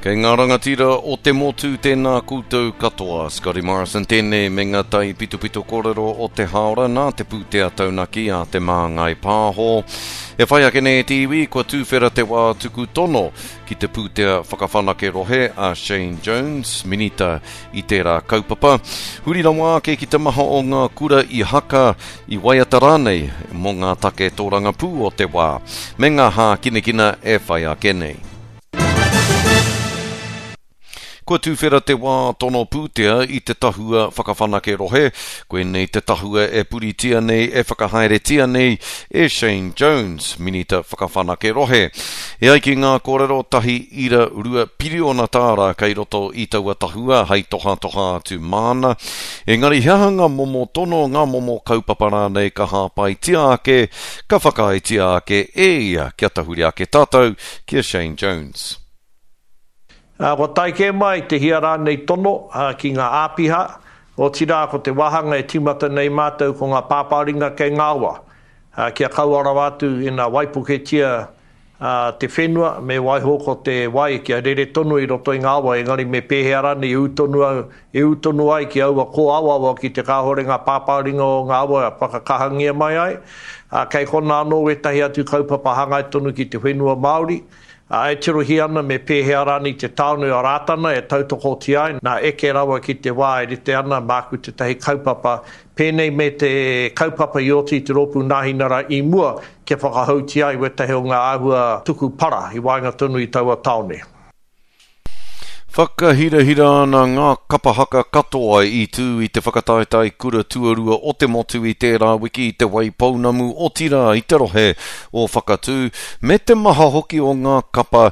Kei ngā rangatira o te motu tēnā koutou katoa. Scotty Morrison tēnei me ngā tai pitopito kōrero o te hāora nā te pūtea taunaki a Te Māngai Pāho. E whai ake nei e te iwi, kua tūwhera te wā tuku tono ki te pūtea whakawhanake rohe a Shane Jones, Minita i tērā kaupapa. Huri rawa ake ki te maha o ngā kura i haka, i waiata rānei mō ngā take tōrangapū o te wā, me ngā hākinakina e whai ake nei. Kua tuwhera te wā tono pūtea i te Tahua Whakawhanake Rohe. Koinei te tahua e puritia nei, e whakahaeretia nei e Shane Jones, Minita Whakawhanake Rohe. E ai ki ngā kōrero, 1.2 piriona tāra kei roto i taua tahua hei tohatoha atu māna. Engari he aha ngā momo tono, ngā momo kaupapa rānei ka hāpaitia ake, ka whakaaetia ake e ia kia tahuri ake tātou ki a Shane Jones. Ā, kua tae kē mai te hia rānei tono ki ngā āpiha, otirā ko te wāhanga e tīmata nei mātou ko ngā pāpāringa kei ngā awa, kia kaua rawa atu ina waipuketia te whenua, me waiho ko te wai kia rere tonu i roto i ngā awa, engari me pēhea rānei e ū tonu au, e ū tonu ai ki aua kōawaawa ki te kāhore ngā pāpāringa o ngā awa whakakahangia mai ai. Ā, kei konā anō wētahi atu kaupapa hāngai tonu ki te whenua Māori, ā, e tirohia ana me pēhea rānei te tāone o Rātana e tautokotia ai, nā eke rawa ki te wā e rite ana māku tētahi kaupapa pēnei me te kaupapa i oti i te Rōpū Nāhinara i mua kia whakahoutia ai wētahi o ngā āhua tuku para i waenga tonu i taua tāone. Whakahirahira ana ngā kapa haka katoa i tū i te whakataetae kura tuarua o te motu i tērā wiki i Te Waipounamu, otirā i te rohe o Whakatū, me te maha hoki o ngā kapa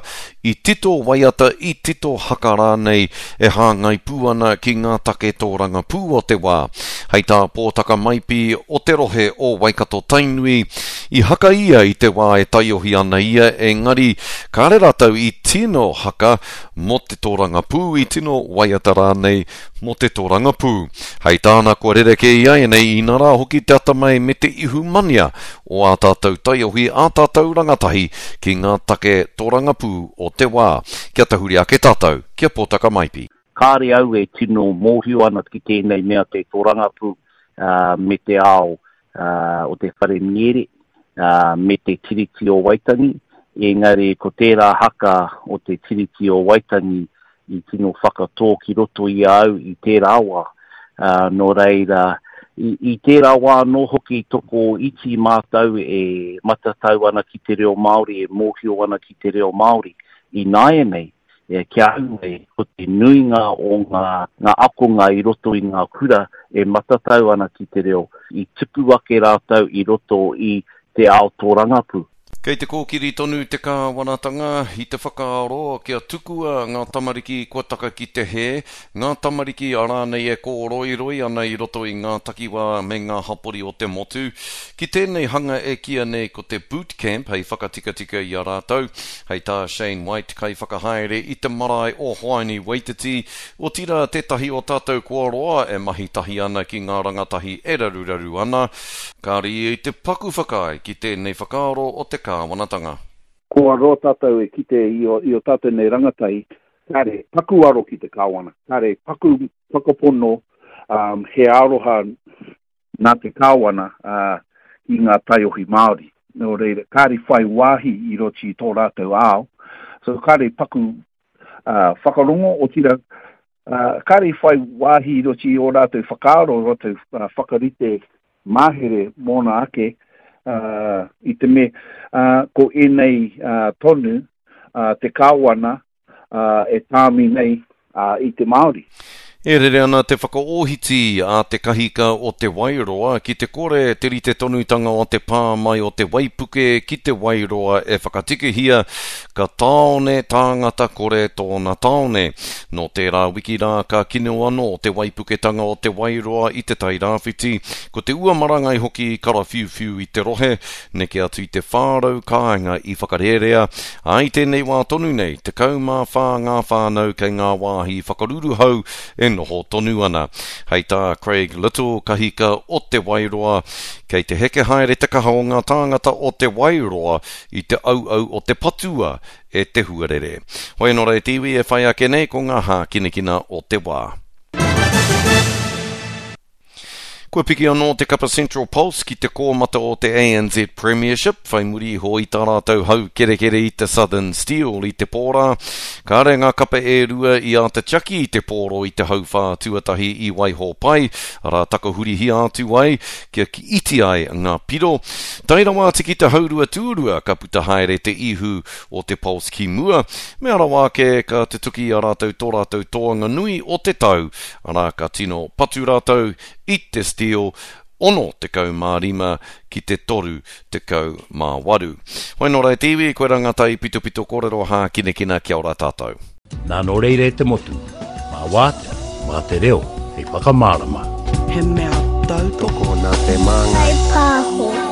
i tito waiata, i tito haka rānei e hāngai pū ana ki ngā take tōrangapū o te wā. Hei tā Pōtaka Maipi o te rohe o Waikato-Tainui, i haka ia i te wā e taiohi ana ia, engari Kāre rātou i tino haka mō te tōrangapū, i tino waiata rānei mō te tōrangapū. Hei tāna kua rerekē iaianei, inarā hoki te atamai me te ihumania o ā tātou taiohi, ā tātou rangatahi ki ngā take tōrangapū o te wā. Kia tahuri ake tātou ki a Pōtaka Maipi. Kāre au e tino mōhio ana ki tēnei mea te tōrangapū me te ao o te whare miere me te Tiriti o Waitangi, engari ko tērā haka o te Tiriti o Waitangi i tino whakatō ki roto i a au i tērā wā. Nō reira, i, i tērā wā anō hoki toko iti mātou e matatau ana ki te reo Māori, e mōhio ana ki te reo Māori. Ināianei, E, ki a au nei, ko te nuinga o ngā, ngā akonga i roto i ngā kura e matatau ana ki te reo, i tupu ake rātou i roto i te ao tōrangapū. Kei te kōkiri tonu te kāwanatanga i te whakaaro kia tukua ngā tamariki kua taka ki te hē, ngā tamariki rānei e kōroiroi ana i roto i ngā takiwā me ngā hapori o te motu, ki tēnei hanga e kīia nei ko te boot camp hei whakatikatika i a rātou. Hei tā Shane White, kaiwhakahaere i te marae o Hoani Waititi, otirā tētahi o tātou kua roa e mahi tahi ana ki ngā rangatahi e raruraru ana, kāre ia i te paku whakaae ki tēnei whakaaro o te kāwanatanga. Kua roa tātou e kite i o tātou nei rangatahi, kāre paku aro ki te kāwana, kāre paku whakapono he aroha nā te kāwana ki ngā taiohi Māori. Nō reira, kāre whai wāhi i roti i tō rātou ao, so kāre paku whakarongo, otirā, kāre i whai wāhi i roti i ō rātou whakaaro, rātou whakarite mahere mōna ake, i te me, ko ēnei tonu te kāwana e tāmi nei i te Māori. E rere ana te whakaohiti a te kahika o Te Wairoa ki te kore te rite tonutanga o te pā mai o te waipuke ki Te Wairoa e whakatikahia, ka tāone tāngata kore tōna tāone. Nō tērā wiki rā ka kino anō te waipuketanga o Te Wairoa i Te Tairāwhiti, ko te ua marangai hoki i karawhiuwhiu i te rohe, Neke atu i te 400 kāinga i whakarērea, ā, i tēnei wā tonu nei, 14 ngā whānau kei ngā wāhi whakaruruhau e noho tonu ana. Hei tā Craig Little, kahika o Te Wairoa, kei te heke haere te kaha o ngā tāngata o Te Wairoa i te auau o te patua e te huarere. Hoi anō rā e te iwi e whai ake nei ko ngā hākinakina o te wā. Kua piki anō te kapa Central Pulse ki te kōmata o te ANZ Premiership, whai muri iho i tā rātou haukerekere i te Southern Steel i te pō rā. Kāre ngā kapa e rua i āta tiaki i te pōro i te hauwhā tuatahi i waiho pai, arā takahurihia atu ai kia iti ai ngā piro. Tae rawa atu ki te haurua tuarua ka puta haere te ihu o te Pulse ki mua, mea rawa ake ka tutuki i a rātou tō rātou toanga nui o te tau, arā ka tino patu rātou i te Steel 65 ki te 38. Hoi nō rā e te iwi, koirā ngā taipitopito kōrero hākinakina kia ora tātou. Nā nō reira e te motu, mā wātea, mā te reo hei whakamārama. He mea tautoko. Tokona te māngai. Whai pāho.